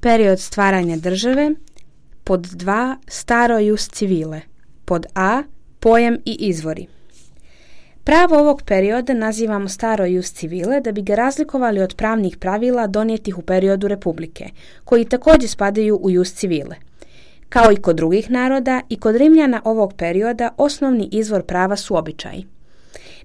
Period stvaranja države. Pod 2. Staro jus civile. Pod A. Pojam i izvori. Pravo ovog perioda nazivamo staro jus civile da bi ga razlikovali od pravnih pravila donijetih u periodu Republike, koji također spadaju u jus civile. Kao i kod drugih naroda, i kod Rimljana ovog perioda osnovni izvor prava su običaji.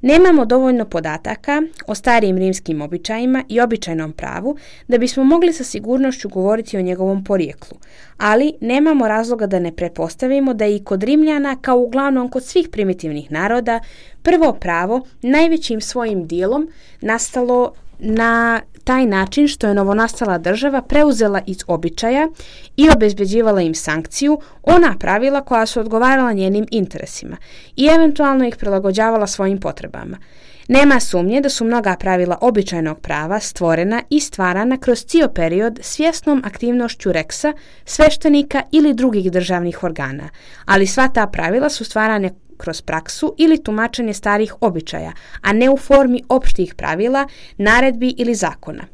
Nemamo dovoljno podataka o starijim rimskim običajima i običajnom pravu da bismo mogli sa sigurnošću govoriti o njegovom porijeklu, ali nemamo razloga da ne pretpostavimo da je i kod Rimljana, kao uglavnom kod svih primitivnih naroda, prvo pravo najvećim svojim dijelom nastalo na taj način što je novonastala država preuzela iz običaja i obezbeđivala im sankciju, ona pravila koja su odgovarala njenim interesima i eventualno ih prilagođavala svojim potrebama. Nema sumnje da su mnoga pravila običajnog prava stvorena i stvarana kroz cijel period svjesnom aktivnošću reksa, sveštenika ili drugih državnih organa, ali sva ta pravila su stvarane kroz praksu ili tumačenje starih običaja, a ne u formi opštih pravila, naredbi ili zakona.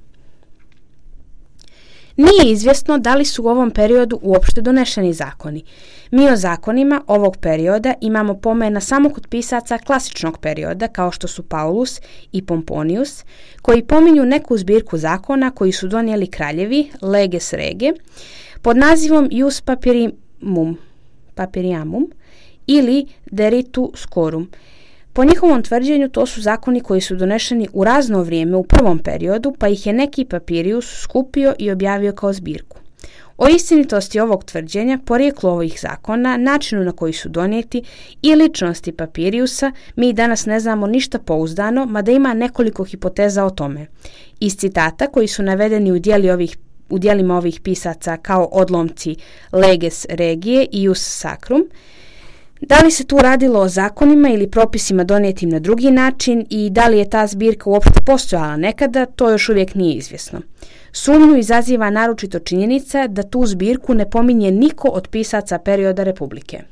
Nije izvjesno da li su u ovom periodu uopšte donešeni zakoni. Mi o zakonima ovog perioda imamo pomena samo kod pisaca klasičnog perioda, kao što su Paulus i Pomponius, koji pominju neku zbirku zakona koji su donijeli kraljevi, leges rege, pod nazivom Ius Papiriamum ili Deritu Scorum. Po njihovom tvrđenju to su zakoni koji su donešeni u razno vrijeme u prvom periodu, pa ih je neki papirius skupio i objavio kao zbirku. O istinitosti ovog tvrđenja, porijeklu ovih zakona, načinu na koji su donijeti i ličnosti papiriusa mi danas ne znamo ništa pouzdano, mada ima nekoliko hipoteza o tome. Iz citata koji su navedeni u dijelima ovih pisaca kao odlomci leges regije i ius sacrum, da li se tu radilo o zakonima ili propisima donijetim na drugi način i da li je ta zbirka uopšte postojala nekada, to još uvijek nije izvjesno. Sumnju izaziva naročito činjenica da tu zbirku ne pominje niko od pisaca perioda Republike.